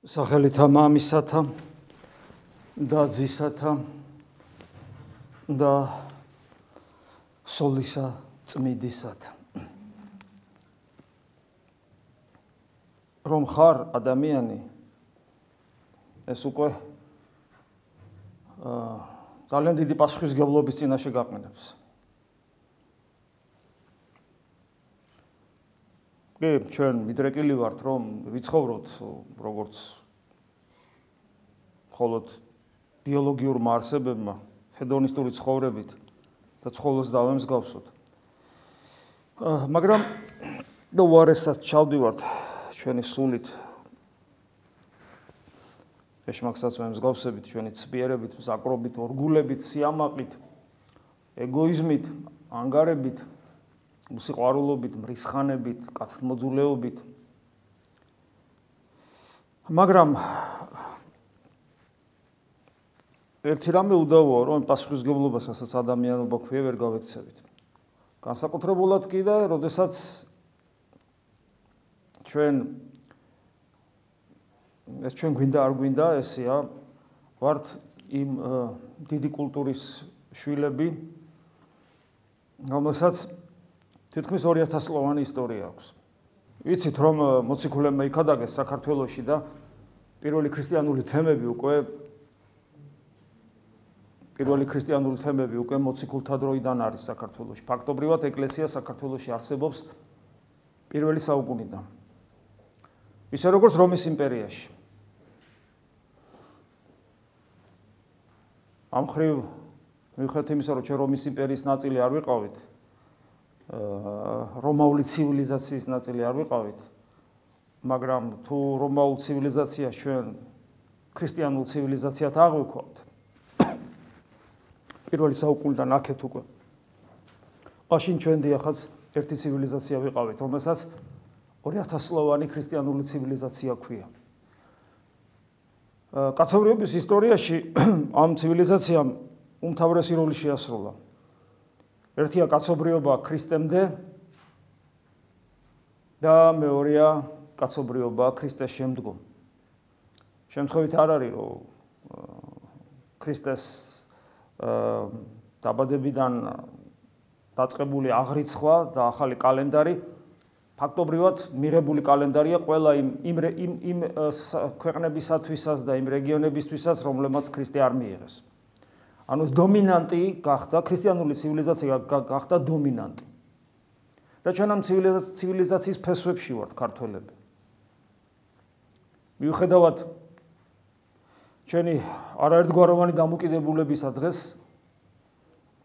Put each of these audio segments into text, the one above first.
სახელითა მამისათა და ძისათა და სოლისა წმიდისათა. რომ ხარ ადამიანი ეს უკვე ძალიან დიდი პასუხისმგებლობის წინაშე გაყენებს. ჩვენ მიდრეკილი ვართ რომ ვიცხოვროთ როგორც მხოლოდ ბიოლოგიურმა არსებებმა ჰედონისტური ცხოვრებით და ცხოველს დავემსგავსოთ. მაგრამ უარესად ჩავდივართ ჩვენი სულით ეშმაკსაც ვემსგავსებით, ჩვენი ცბიერებით, მზაკრობით, ორგულებით, სიამაყით, ეგოიზმით, ანგარებით, სიყვარულობით, მრისხანებით, კაცთმოძულეობით. მაგრამ ერთი რამე უდავოა, რომ პასუხისმგებლობას, რასაც ადამიანობა ქვია, ვერ გავექცევით. განსაკუთრებულად კი და როდესაც ჩვენ გვინდა არ გვინდა, ესეა, ვართ იმ დიდი კულტურის შვილები, რომელსაც თითქმის 2000 წლოვანი ისტორია აქვს. ვიცით, რომ მოციქულებმა იქადაგეს საქართველოში და პირველი ქრისტიანული თემები უკვე მოციქულთა დროიდან არის საქართველოში. ფაქტობრივად ეკლესია საქართველოში არსებობს პირველი საუკუნიდან. ისე როგორც რომის იმპერიაში. ამ ხრივ მიუხედავად იმისა, რომ ჩვენ რომის იმპერიის ნაწილი არ ვიყავით, რომაული ცივილიზაციის ნაწილი არ ვიყავით, მაგრამ თუ რომაულ ცივილიზაციას ჩვენ ქრისტიანულ ცივილიზაციად აღვიქვავთ, პირველი საუკუნიდან აქეთ უკვე, მაშინ ჩვენ დიახაც ერთი ცივილიზაცია ვიყავით, რომელსაც 2000 წლოვანი ქრისტიანული ცივილიზაცია ქვია. კაცობრიობის ისტორიაში ამ ცივილიზაციამ უმთავრესი როლი შეასრულა. ერთია კაცობრიობა ქრისტემდე და მეორეა კაცობრიობა ქრისტეს შემდგომ. შემთხვევით არ არის, რომ ქრისტეს დაბადებიდან დაწყებული აღრიცხვა და ახალი კალენდარი ფაქტობრივად მიღებული კალენდარია ყველა იმ ქვეყნებისათვისაც და იმ რეგიონებისთვისაც, რომლებმაც ქრისტე არ მიიღეს. ანუ დომინანტი გახდა, ქრისტიანული ცივილიზაცია გახდა დომინანტი. და ჩვენ ამ ცივილიზაციის ფესვებში ვართ ქართველები. მიუხედავად ჩვენი არაერთგვაროვანი დამოკიდებულებისა დღეს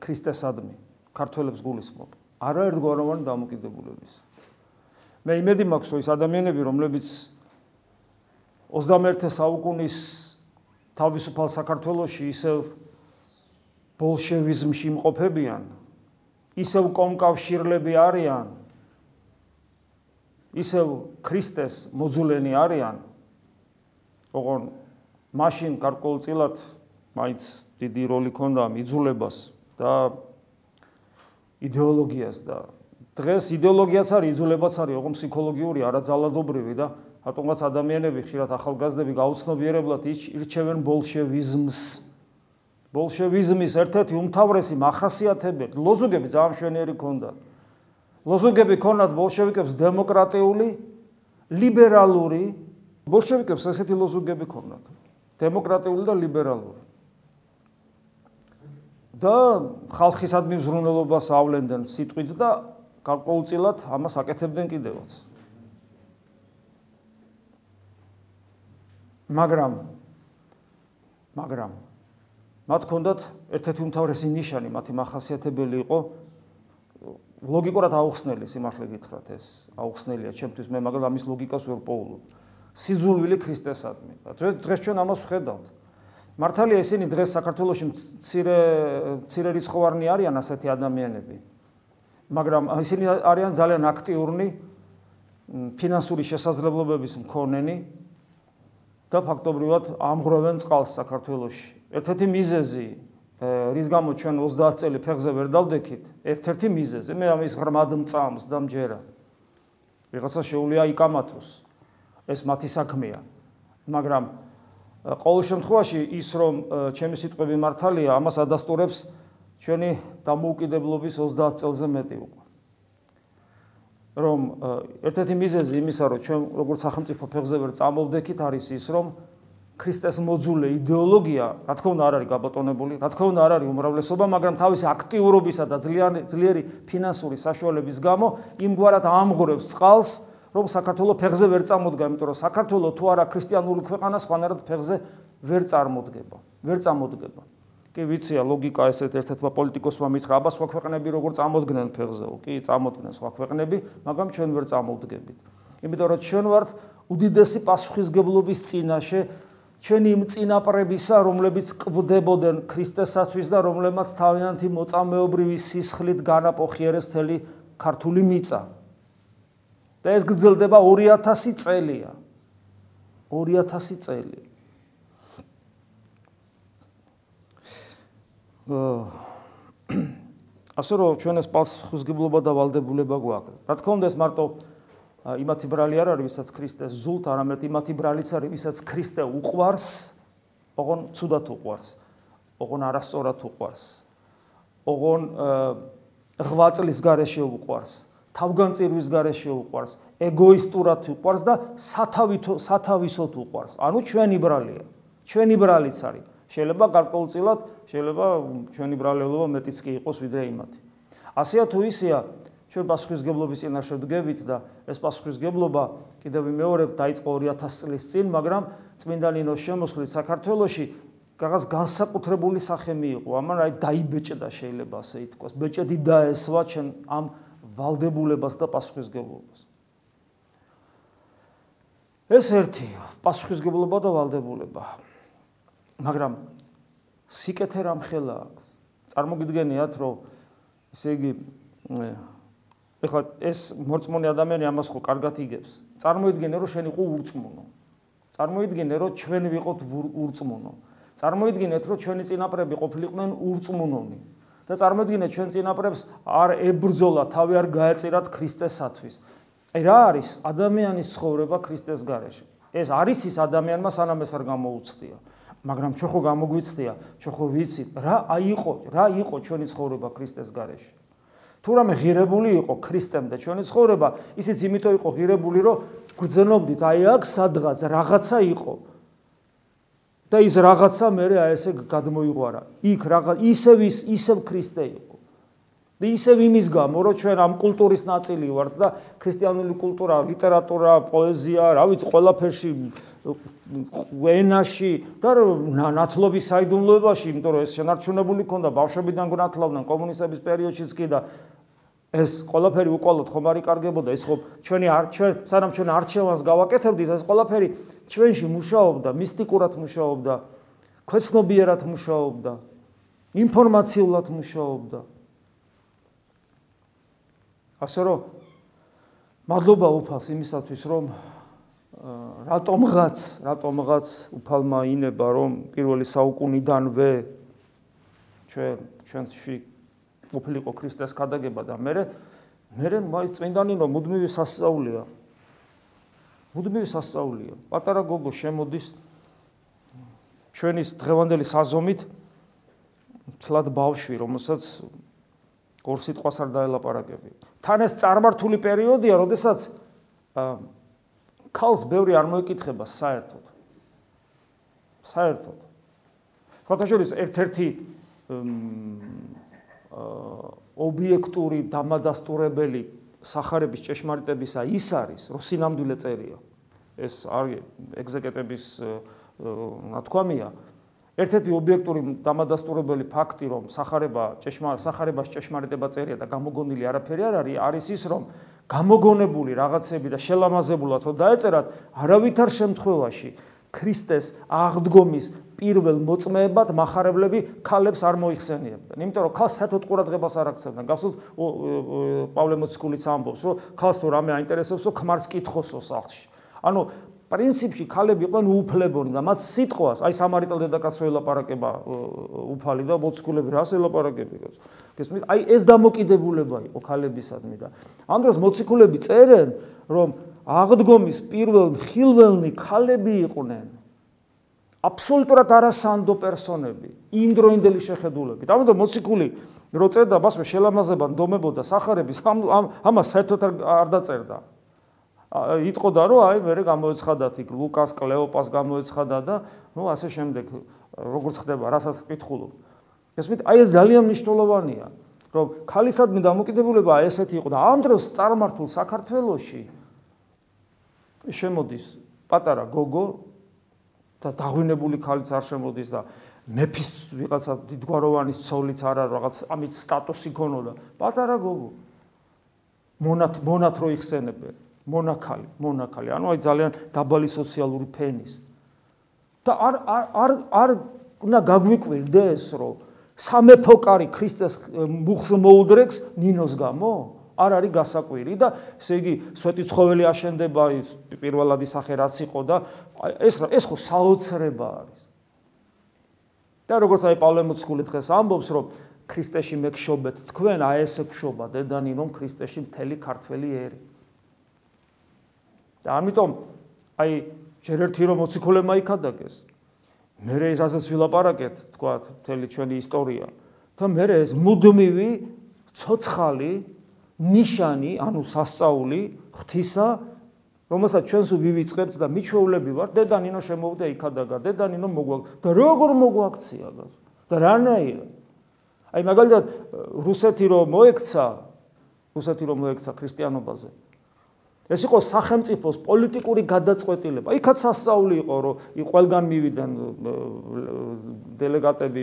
ქრისტესადმი ქართველებს გულისხმობ. არაერთგვაროვანი დამოკიდებულების. მე იმედი მაქვს, რომ ის ადამიანები, რომლებიც 21 საუკუნის თავისუფალ საქართველოში ისევ ბოლშევიზმში იმყოფებიან, ისევ კომკავშირლები არიან, ისევ ქრისტეს მოძულენი არიან, ოღონ მაშინ გარკვეულწილად მაინც დიდი როლი ჰქონდა იძულებას და იდეოლოგიას და დღეს იდეოლოგიაც არის, იძულებაც არის, ოღონ ფსიქოლოგიური, არაძალადობრივი და რატომღაც ადამიანები ხშირად ახალგაზრდები გაუცნობიერებლად ირჩევენ ბოლშევიზმს. ბოლშევიზმის ერთ-ერთი უმთავრესი მახასიათებელი ლოზუნგები ძალიან მშვენიერი ჰქონდათ. ლოზუნგები ჰქონდათ ბოლშევიკებს დემოკრატიული, ლიბერალური, ბოლშევიკებს ესეთი ლოზუნგები ჰქონდათ. დემოკრატიული და ლიბერალური. და ხალხისადმი მზრუნველობას ავლენდნენ სიტყვით და გარკვეულწილად ამას აკეთებდნენ კიდევაც. მაგრამ მათ ჰქონდათ ერთ-ერთი უმთავრესი ნიშანი, მათი მახასიათებელი იყო ლოგიკურად აუხსნელი, სიმართლე გითხრათ, ეს აუხსნელია ჩემთვის, მე მაგრამ ამის ლოგიკას ვერ პოულობ. სიძულვილი ქრისტესადმი. დღეს ჩვენ ამას ვხედავთ. მართალია ისინი დღეს საქართველოში მცირე რიცხოვანი არიან ასეთი ადამიანები. მაგრამ ისინი არიან ძალიან აქტიურნი, ფინანსური შესაძლებლობების მქონენი და ფაქტობრივად ამღვრევენ წყალს საქართველოში. ერთ-ერთი მიზეზი, რის გამო ჩვენ 30 წელი ფეხზე ვერ დავდექით, ერთ-ერთი მიზეზი, მე ამის ღრმად მწამს და მჯერა. ვიღაცა შეუძლია იკამათოს. ეს მათი საქმეა. მაგრამ ყოველ შემთხვევაში ის რომ ჩემი სიტყვები მართალია, ამას ადასტურებს ჩვენი დამოუკიდებლობის 30 წელზე მეტი უკვე. რომ ერთ-ერთი მიზეზი იმისა, რომ ჩვენ როგორც სახელმწიფო ფეხზე ვერ წამოვდექით, არის ის, რომ ქრისტეს მოძულე იდეოლოგია, რა თქმა უნდა, არ არის გაბატონებული, რა თქმა უნდა, არ არის უმრავლესობა, მაგრამ თავისი აქტიურობისა და ძლიერი ფინანსური საშუალების გამო იმგვარად ამღვრევს წყალს, რომ საქართველოს ფეხზე ვერ წამოდგა, იმიტომ რომ საქართველოს თუ არა ქრისტიანული ქვეყანა, სხვანაირად ფეხზე ვერ წამოდგება. კი ვიცია ლოგიკა ესეთ ერთ-ერთმა პოლიტიკოსმა მითხრა, აბა სხვა ქვეყნები როგორ წამოდგნენ ფეხზეო, კი წამოდგნენ სხვა ქვეყნები, მაგრამ ჩვენ ვერ წამოვდგებით. იმიტომ რომ ჩვენ ვართ უდიდესი პასუხისგებლობის წინაშე ჩვენი იმ წინაპრებისა, რომლებიც კვდებოდნენ ქრისტესათვის და რომლებმაც თავიანთი მოწამეობრივი სისხლით განაპოხიერეს მთელი ქართული მიწა. და ეს გრძელდება 2000 წელია. 2000 წელი. ასე რომ ჩვენ ეს პასუხისგებლობა და ვალდებულება გვაქვს. რა თქმა უნდა ეს მარტო იმათი ბრალი არ არის, ვისაც ქრისტეს ზულთ, არამედ იმათი ბრალიც არის, ვისაც ქრისტე უყვარს, ოღონ ცუდად უყვარს, ოღონ არასწორად უყვარს, ოღონ ღვაწლის გარეშე უყვარს, თავგანწირვის გარეშე უყვარს, ეგოისტურად უყვარს და სათავისოდ უყვარს. ანუ ჩვენი ბრალია, ჩვენი ბრალიც არის. შეიძლება გარკვეულწილად, შეიძლება ჩვენი ბრალეულობა მეტიც კი იყოს ვიდრე იმათი. ასეა თუ ისეა, ჩვენ პასუხისგებლობის წინაშე ვდგებით და ეს პასუხისგებლობა კიდევ ვიმეორებ დაიწყო 2000 წლის წინ, მაგრამ წმინდა ნინოს შემოსვლით საქართველოში რაღაც განსაკუთრებული სახე მიიღო. ამან აი დაიბეჭდა შეიძლება ასე ითქვას. ბეჭედი დაესვა ჩვენ ამ ვალდებულებას და პასუხისგებლობას. ეს ერთი პასუხისგებლობა და ვალდებულება. მაგრამ სიკეთე რამხელა აქვს. წარმოგიდგენიათ, რომ ესე იგი ეხლა ეს მორწმუნე ადამიანი ამას ხო კარგად იგებს. წარმოიდგინე, რომ შენ იყო ურწმუნო. წარმოიდგინე, რომ ჩვენ ვიყოთ ურწმუნო. წარმოიდგინეთ, რომ ჩვენი წინაპრები ყოფილიყვნენ ურწმუნონი. და წარმოიდგინეთ, ჩვენ წინაპრებს არ ებრძოლა, თავი არ გაეწირათ ქრისტესათვის. აი რა არის ადამიანის ცხოვრება ქრისტეს გარეშე? ეს არის ის ადამიანმა სანამ ეს არ გამოუცდია. მაგრამ ჩვენ ხო გამოგვიცდია, ჩვენ ხო ვიცით, რა იყო ჩვენი ცხოვრება ქრისტეს გარეშე. თუ რამე ღირებული იყო ქრისტემდე ჩვენი ცხოვრება, ისიც იმიტომ იყო ღირებული, რომ გრძნობდით, აი აქ სადღაც რაღაცა იყო. და ის რაღაცა მერე აი ესე გადმოიღვარა. იქ ისევ ქრისტე იყო. და ისევ იმის გამო, რომ ჩვენ ამ კულტურის ნაწილი ვართ და ქრისტიანული კულტურა, ლიტერატურა, პოეზია, რა ვიცი, ყველაფერში ენაში და ნათლობის საიდუმლოებაში, იმიტომ რომ ეს შენარჩუნებული ქონდა, ბავშვებიდან გნათლავდნენ კომუნისტების პერიოდშიც კი და ეს ყველაფერი უკვალოდ ხომ არ იკარგებოდა, ეს ხო სანამ ჩვენ არჩევანს გავაკეთებდით, ეს ყველაფერი ჩვენში მუშაობდა, მისტიკურად მუშაობდა, ქვეცნობიერად მუშაობდა, ინფორმაციულად მუშაობდა. ასე რომ მადლობა უფალს იმისათვის, რომ რატომღაც უფალმა ინება, რომ პირველი საუკუნიდანვე ჩვენში ყოფილიყო ქრისტეს ქადაგება და მერე მაინც წმინდა ნინო მუდმივი სასწაულია. პატარა გოგო შემოდის ჩვენის დღევანდელი საზომით თლად ბავშვი, რომელსაც ორ სიტყვას არ დაელაპარაკები. თან ეს წარმართული პერიოდია, როდესაც ქალს ბევრი არ მოეკითხება საერთოდ. ხოთაშორის ერთ-ერთი ობიექტური დამადასტურებელი სახარების ჭეშმარიტებისა ის არის, რომ სინამდვილე წერია. ეს არის ეგზეგეტების ნათქვამია. ერთ-ერთი ობიექტური დამადასტურებელი ფაქტი, რომ სახარებას ჭეშმარიტება წერია და გამოგონილი არაფერი არ არის ის, რომ გამოგონებული რაღაცები და შელამაზებულად რომ დაეწერათ, არავითარ შემთხვევაში ქრისტეს აღდგომის პირველ მოწმეებად מחარებლები ქალებს არ მოიხსენიებდნენ. იმიტომ რომ ქალს საერთოდ ყურადღებას არ აქცევდნენ. გახსოვთ პავლე მოციქულიც ამბობს, რომ ქალს თუ რამე აინტერესებს, რომ ქმარს კითხოსო სახლში. ანუ პრინციპში ქალები იყვნენ უუფლებონი და მათ სიტყვას, აი სამარიტელ დედაკაცს ელაპარაკება უფალი და მოციქულები რას ელაპარაკებენ. გესმით? აი ეს დამოკიდებულება იყო ქალებისადმი და ამ დროს მოციქულები წერენ, რომ აღდგომის პირველ მხილველნი ქალები იყვნენ. აბსოლუტურად არასანდო პერსონები, იმდროინდელი შეხედულებით. ამიტომ მოციქული რო წერდა მასვე შელამაზება ნდომებოდა სახარების ამას საერთოდ არ დაწერდა. იტყოდა რომ აი მე გამოეცხადათ იქ ლუკას, კლეოპას გამოეცხადა და ნუ ასე შემდეგ როგორც ხდება, რასაც კითხულობ. ესმით აი ეს ძალიან მნიშვნელოვანია, რომ ქალისადმი დამოკიდებულება ესეთი იყო და ამ დროს წარმართულ საქართველოში შემოდის პატარა გოგო და დაღვინებული ქალიც არ შემოდის და მეფის ვიღაცა დიდგვაროვანის ცოლიც არა რაღაც ამით სტატუსი ქონოდა. პატარა გოგო მონათ რო იხსენებენ, მონაქალი, ანუ აი ძალიან დაბალი სოციალური ფენის. და არ უნდა გაგვიკვირდეს, რომ სამეფო კარი ქრისტეს მუხს მოუდრეკს ნინოს გამო? არ არის გასაკვირი და ესე იგი სვეტი ცხოველი აშენდება პირველადი სახე რაც იყო და ეს ხო საოცრება არის. და როგორც აი პავლე მოციქული დღეს ამბობს, რომ ქრისტეში მეგშობეთ თქვენ, აი ესე გშობა დედანინომ ქრისტეში მთელი ქართველი ერი. და ამიტომ აი ჯერ ერთი რომ მოციქულებმა იქადაგეს, მერე რასაც ვილაპარაკეთ, თქვა მთელი ჩვენი ისტორია და მერე ეს მუდმივი ცოცხალი ნიშანი, ანუ სასწაული ღვთისა, რომელსაც ჩვენს ვივიწყებთ და მიჩვეულები ვართ, დედანინო შემოვიდა იქადაგა, დედანინო მოგვაქცია და როგორ მოგვაქცია და რანაირად. აი მაგალითად რუსეთი რომ მოექცა ქრისტიანობაზე. ეს იყო სახელმწიფოს პოლიტიკური გადაწყვეტილება. იქაც სასწაული იყო, რომ ყველგან მივიდნენ დელეგატები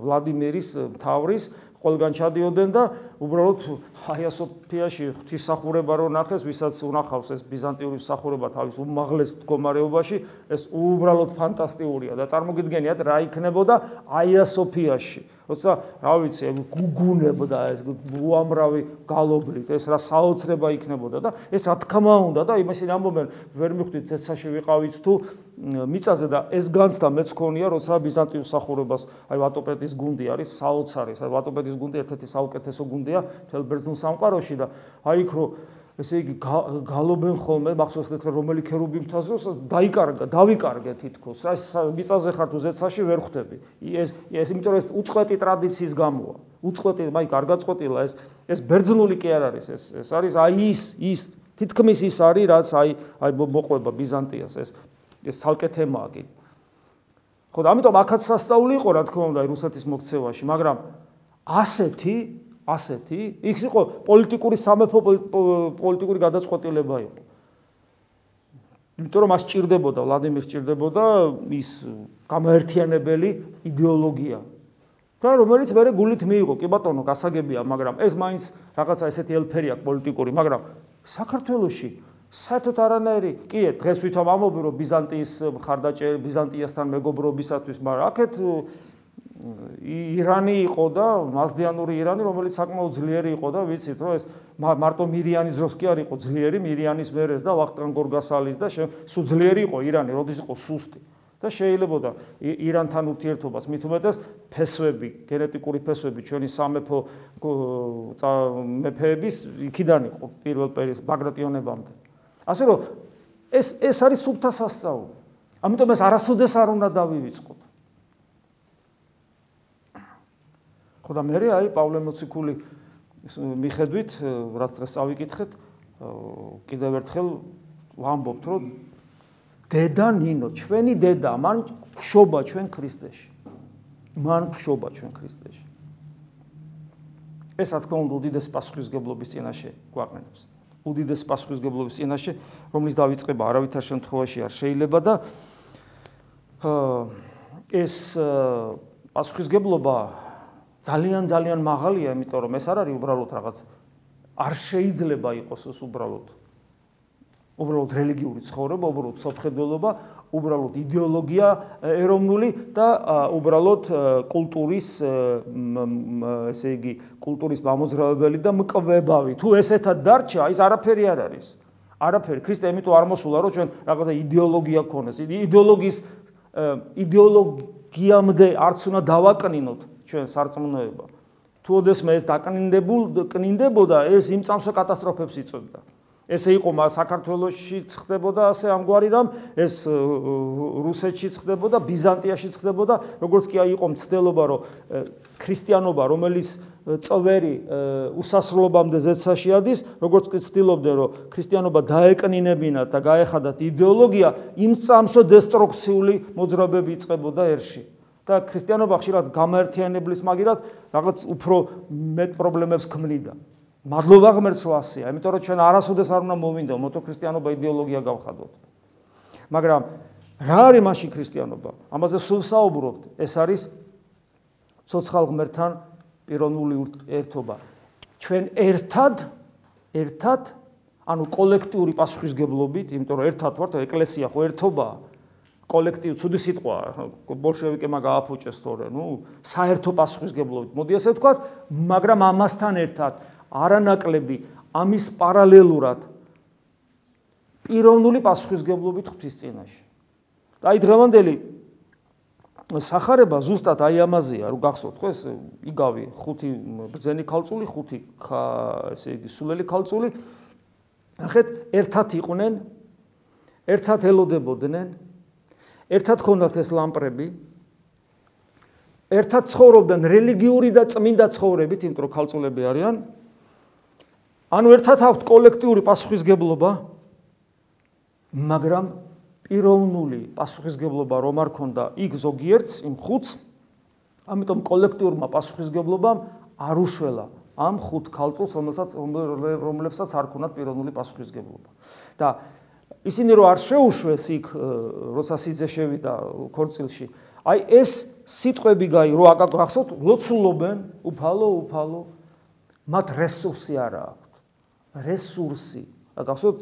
ვლადიმირის მთავრის, ყველგან ჩადიოდნენ და უბრალოდ ჰაია სოფიაში ღვთისმსახურება რო ნახეს, ვისაც უნახავს ეს ბიზანტიური მსახურება თავის უმაღლეს მდგომარეობაში, ეს უბრალოდ ფანტასტიკურია და წარმოგიდგენიათ რა იქნებოდა აია სოფიაში. როცა რა ვიცი, გუგუნებდა ეს უამრავი გალობლით, ეს რა საოცრება იქნებოდა და ეს რა თქმა უნდა და იმასინ ამბობენ, ვერ მიხვდით ცეცხლში ვიყავით თუ მიწაზე და ეს განცდა მეც ქონია, როცა ბიზანტიურ მსახურებას, აი ვატოპედის გუნდი არის საოცარი, ვატოპედის გუნდი ერთ-ერთი საუკეთესო გუნდია მთელ ბერძნულ სამყაროში და აი იქ რო ესე იგი გალობენ ხოლმე, მახსოვს თქვენ რომელი ქერუბი მთაზროს დავიკარგე თითქოს. რა მიწაზე ხარ თუ ზეცაში ვერ ხვდები. ეს იმიტომ რომ უწყვეტი ტრადიციის გამოა. უწყვეტი, მაიქ არ გაწყვეტილა ეს ბერძნული კი არ არის, ეს არის აი ის თითქმის ის არის, რაც აი მოყვება ბიზანტიას, ეს ცალკე თემაა კი. ხო და ამიტომ აქაც სასწაული იყო, რა თქმა უნდა, რუსეთის მოქცევაში, მაგრამ ასეთი იქ იყო პოლიტიკური სამეფო პოლიტიკური გადაწყვეტილება იყო. იმიტომ რომ მას ჭირდებოდა, ვლადიმირს ჭირდებოდა ის გამაერთიანებელი იდეოლოგია. და რომელიც მე გულით მიიღო, კი ბატონო, გასაგებია, მაგრამ ეს მაინც რაღაცა ესეთი ელფერი აქვს პოლიტიკური, მაგრამ საქართველოში საერთოდ არანაირი, კი, დღეს ვითომ ამბობ, რომ ბიზანტიის მხარდაჭერა, ბიზანტიასთან მეგობრობისათვის, მაგრამ აქეთ ირანი იყო და მაზდიანური ირანი, რომელიც საკმაოდ ძლიერი იყო და ვიცით, რომ ეს მარტო მირიანის დროს კი არ იყო ძლიერი, მირიანის მერეს და ვახტანგ გორგასალის და სულ ძლიერი იყო ირანი, როდის იყო სუსტი. და შეიძლებოდა ირანთან ურთიერთობას მით უმეტეს ფესვები, გენეტიკური ფესვები ჩვენი სამეფო მეფეების იქიდან იყო პირველ ბაგრატიონებამდე. ასე რომ ეს არის სუფთა სასწაული. ამიტომ ეს არასოდეს არ უნდა დავივიწყოთ. ხო და მე აი პავლე მოციქული მიხედვით, რაც დღეს წავიკითხეთ, კიდევ ერთხელ ვამბობთ, რომ დედა ნინო, ჩვენი დედა, მან გშობა ჩვენ ქრისტეში. ეს რა თქმა უნდა უდიდეს პასუხისმგებლობის წინაშე გვაყენებს. უდიდეს პასუხისმგებლობის წინაშე, რომლის დავიწყება არავითარ შემთხვევაში არ შეიძლება და ეს პასუხისმგებლობა ძალიან მაღალია, იმიტომ რომ ეს არ არის უბრალოდ რაღაც არ შეიძლება იყოს ეს უბრალოდ რელიგიური ცხოვრება, უბრალოდ სოფხედველობა, უბრალოდ იდეოლოგია ეროვნული და უბრალოდ კულტურის ესე იგი კულტურის მამოძრავებელი და მკვლევარი. თუ ესეთად დარჩა, ის არაფერი არ არის. არაფერი. ქრისტე იმიტომ არ მოსულა, რომ ჩვენ რაღაცა იდეოლოგია გქონდეს. იდეოლოგიამდე არც უნდა დავაკნინოთ ჩვენ სარწმუნოება. თუ ოდესმე ეს დაკნინდებოდა, ეს იმ წამსვე კატასტროფებს იწვევდა. ესე იყო საქართველოში ხდებოდა ასე ამგვარი რამ, ეს რუსეთში ხდებოდა, ბიზანტიაში ხდებოდა, როგორც კი იყო მცდელობა, რომ ქრისტიანობა, რომელიც წვერი უსასრულობამდე ზეცაში ადის, როგორც კი ცდილობდნენ, რომ ქრისტიანობა დაეკნინებინათ და გაეხადათ იდეოლოგია, იმ წამსო დესტრუქციული მოძრაობები იწყებოდა ერში. და ქრისტიანობა ხშირად გამაერთიანებლის მაგერად რაღაც უფრო მეტ პრობლემებს ქმნიდა. მადლობა ღმერთს რომ ასეა, იმიტომ რომ ჩვენ არასოდეს არ უნდა მოვინდო მოთოქრისტიანობა იდეოლოგია გავხადოთ. მაგრამ რა არის მაშინ ქრისტიანობა? ამაზე სულ საუბრობთ. ეს არის ცოცხალ ღმერთთან პიროვნული ერთობა. ჩვენ ერთად, ანუ კოლექტიური პასუხისგებლობით, იმიტომ რომ ერთად ვართ, ეკლესია ხო ერთობაა. კოლექტივ ცუდი სიტყვა, ბოლშევიკებმა გააფუჭეს თორე, საერთო პასუხისგებლობით. მოდი ასე ვთქვათ, მაგრამ ამასთან ერთად არანაკლები ამის პარალელურად პიროვნული პასუხისგებლობით ღვთის წინაშე. და აი დღევანდელი სახარება ზუსტად აი ამაზეა, რომ გახსოვთ ხო ეს იგავი 5 ბრძენი ქალწული, 5 ესე იგი სულელი ქალწული, ნახეთ, ერთად იყვნენ, ერთად ელოდებოდნენ, ერთად ჰქონდათ ეს ლამპრები, ერთად ცხოვრობდნენ რელიგიური და წმინდა ცხოვრებით, იმიტომ რომ ქალწულები არიან. ანუ ერთად აქვთ კოლექტიური პასუხისგებლობა, მაგრამ პიროვნული პასუხისგებლობა რომ არ ქონდა იქ ზოგიერთს, იმ 5-ს, ამიტომ კოლექტიურმა პასუხისგებლობამ არ უშველა ამ 5 ქალწულს, რომლებსაც არ ქონდათ პიროვნული პასუხისგებლობა. და ისინი რომ არ შეუშვეს იქ, როცა სიძე შევიდა ქორწილში, აი ეს სიტყვები რო აკაკახსოთ, ლოცულობენ, უფალო, მათ რესურსი არ აქვს. რესურსი. გახსოვთ,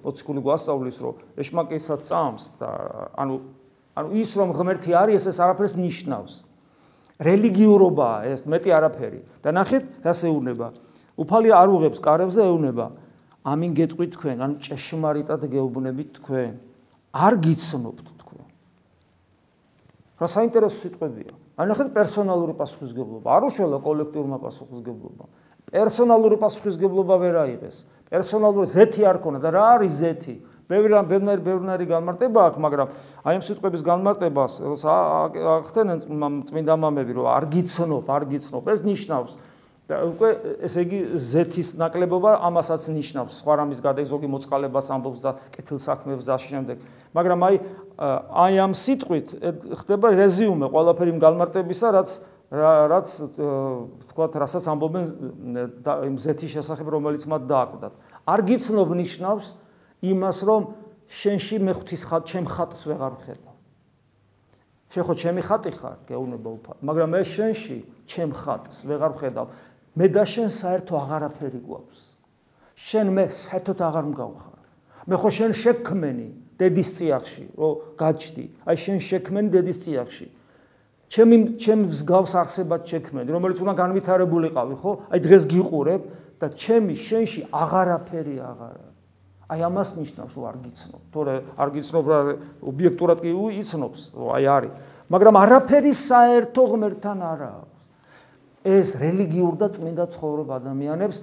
მოციქული გვასწავლის, რომ ეშმაკესაც წამს და ანუ ის რომ ღმერთი არის, ეს არაფერს ნიშნავს. რელიგიურობაა ეს, მეტი არაფერი. და ნახეთ, რას ეუბნება. უფალი არ უღებს კარებზე, ეუბნება. ამინ გეტყვით თქვენ, ან ჭეშმარიტად გეუბნებით თქვენ. არ გიცნობთ თქვენ. რა საინტერესო სიტყვებია. აი ნახეთ, პერსონალური პასუხისგებლობა. არ უშველა კოლექტიურმა პასუხისგებლობამ. პერსონალური პასუხისგებლობა ვერ აიღეს. პერსონალური ზეთი არ ქონა და რა არის ზეთი? ბევრი განმარტება აქვს, მაგრამ აი ამ სიტყვების განმარტებას ახდენენ წმინდა მამები, რომ არ გიცნობ, ეს ნიშნავს და უკვე ესე იგი ზეთის ნაკლებობა ამასაც ნიშნავს. სხვა რამის გადაი ზოგი მოწყალებას ამბობს და კეთილსაქმეებს და შემდეგ. მაგრამ აი ამ სიტყვით ხდება რეზიუმე ყველაფერი იმ განმარტებისა, რაც თქვათ, რასაც ამბობენ იმ ზეთის შესახებ, რომელიც მათ დააკვდათ. არ გიცნობ ნიშნავს იმას, რომ შენში მე ჩემ ხატს ვეღარ ვხედავ. შენ ხო ჩემი ხატი ხარ, გეუბნება უფალ, მაგრამ მე შენში ჩემ ხატს ვეღარ ვხედავ. მე და შენ საერთო აღარაფერი გვაქვს. შენ მე საერთოდ აღარ მგავხარ. მე ხო შენ შექმენი დედის წიაღში, რომ გაჩდი. აი შენ შექმენი დედის წიაღში. ჩემ მსგავს არსებად შექმენი, რომელიც უნდა განვითარებულიყავი, ხო? აი დღეს გიყურებ და ჩემი შენში აღარაფერი აღარა. აი ამას ნიშნავს, რომ არ გიცნობ. თორე არ გიცნობ, რა ობიექტურად კი იცნობს, რომ აი არის. მაგრამ არაფერი საერთო ღმერთთან არ აქვს. ეს რელიგიურ და წმინდა ცხოვრება ადამიანებს,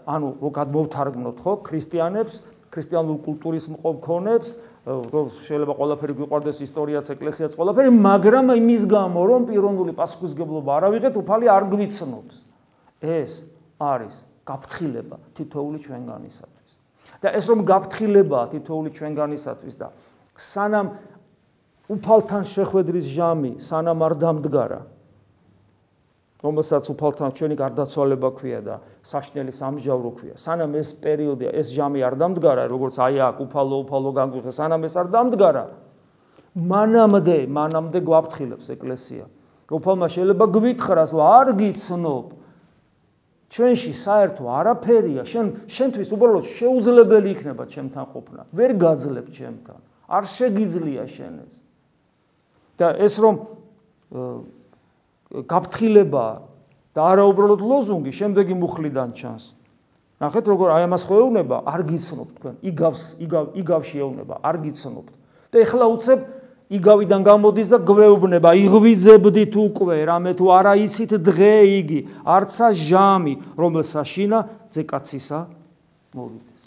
ანუ რო გადმოვთარგმნოთ, ხო, ქრისტიანებს, ქრისტიანულ კულტურის მქონებს, რომ შეიძლება ყველაფერი გვიყვარდეს, ისტორიაც, ეკლესიაც, ყველაფერი, მაგრამ იმის გამო, რომ პიროვნული პასუხისგებლობა არ ავიღეთ, უფალი არ გვიცნობს. ეს არის გაფრთხილება თითოეული ჩვენგანისათვის. და ეს რომ გაფრთხილებაა თითოეული ჩვენგანისათვის და სანამ უფალთან შეხვედრის ჟამი, სანამ არ დამდგარა, რომელსაც უფალთან ჩვენი გარდაცვალება ქვია და საშნელი სამჟავრო ქვია. სანამ ეს პერიოდი, ეს ჟამი არ დამდგარა, როგორც აი აქ უფალო განგვიხე, სანამ ეს არ დამდგარა, მანამდე გვაფრთხილებს ეკლესია. უფალმა შეიძლება გვითხრას, რომ არ გიცნობ. ჩვენში საერთო არაფერია, შენთვის უბრალოდ შეუძლებელი იქნება ჩემთან ყოფნა. ვერ გაძლებ ჩემთან. არ შეგიძლია შენ ეს. და ეს რომ გაფრთხილება და არა უბრალოდ ლოზუნგი, შემდეგი მუხლიდან ჩანს. ნახეთ როგორ აი ამას ხო ეუბნება, არ გიცნობთ თქვენ, იგავში ეუბნება, არ გიცნობთ. და ეხლა უცებ იგავიდან გამოდის და გვეუბნება, იღვიძებდით უკვე, რამე თუ არა იცით დღე იგი, არცა ჟამი, რომელსა შინა ძეკაცისა მოვიდეს.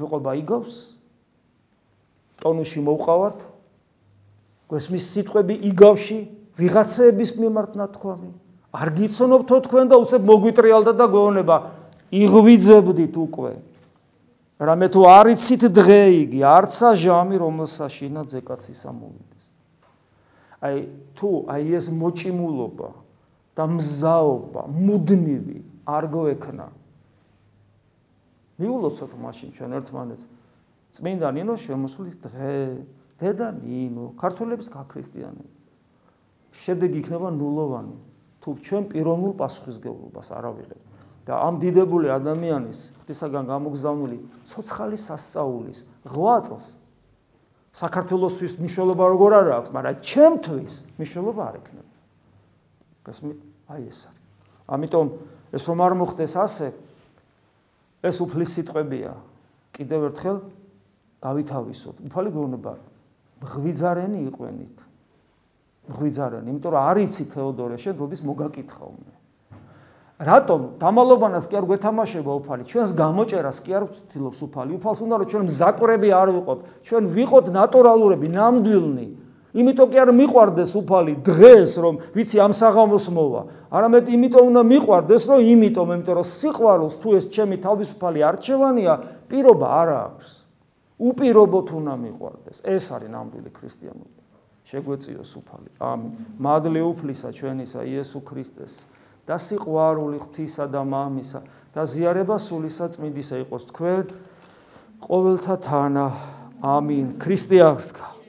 ვიყვება იგავს ტონუსში მოვყავართ გვესმის სიტყვები იგავში ვიღაცების მიმართ ნათქვამი არ გიცნობთო თქვენ და უცებ მოგვიტრიალდა და გვეუბნება იღვიძებდით უკვე რამე თუ არ იცით დღე იგი არცა ჟამი რომელსა შინაძე კაცის ამოვიდეს აი თუ აი ეს მოჭიმულობა და მზაობა მუდმივი არ გვექნა მიულოცოთ მაშინ ჩვენ ერთმანეთს წმინდა ნინოს შემოსვლის დღე დედა ნინო ქართველების გაქრისტიანება შედეგი იქნება ნულოვანი თუ ჩვენ პიროვნულ პასუხისმგებლობას არ ავიღებთ და ამ დიდებული ადამიანის ღვთისაგან გამოგზავნილი ცოცხალი სასწაულის 8 წელს საქართველოსთვის მნიშვნელობა როგორ არ აქვს მაგრამ ჩემთვის მნიშვნელობა არ ექნება გასმით აი ეს არის ამიტომ ეს რომ არ მოხდეს ასე ეს უფლის სიტყვებია კიდევ ერთხელ გავითავისოთ უფალი გეუბნება მღვიძარენი იყვენით მღვიძარენი იმიტომ რომ არ იცი თეოდორე შენ როდის მოგაკითხავ მე რატომ დამალობანას კი არ გვეთამაშება უფალი ჩვენს გამოჭერას კი არ ვცდილობს უფალი უფალს უნდა რომ ჩვენ მზაკვრები არ ვიყოთ ჩვენ ვიყოთ ნატურალურები ნამდვილნი იმიტომ კი არ მიყვარდეს უფალი დღეს რომ ვიცი ამ საღამოს მოვა არამედ იმიტომ უნდა მიყვარდეს რომ იმიტომ რომ სიყვარულს თუ ეს ჩემი თავისუფალი არჩევანია პირობა არ აქვს უპირობოდ უნდა მიყვარდეს ეს არის ნამდვილი ქრისტიანობა შეგვეწიოს უფალი ამინ მადლი უფლისა ჩვენისა იესო ქრისტეს და სიყვარული ღვთისა და მამისა და ზიარება სულისა წმინდისა იყოს თქვენ ყოველთა თანა ამინ ქრისტე აღსდგა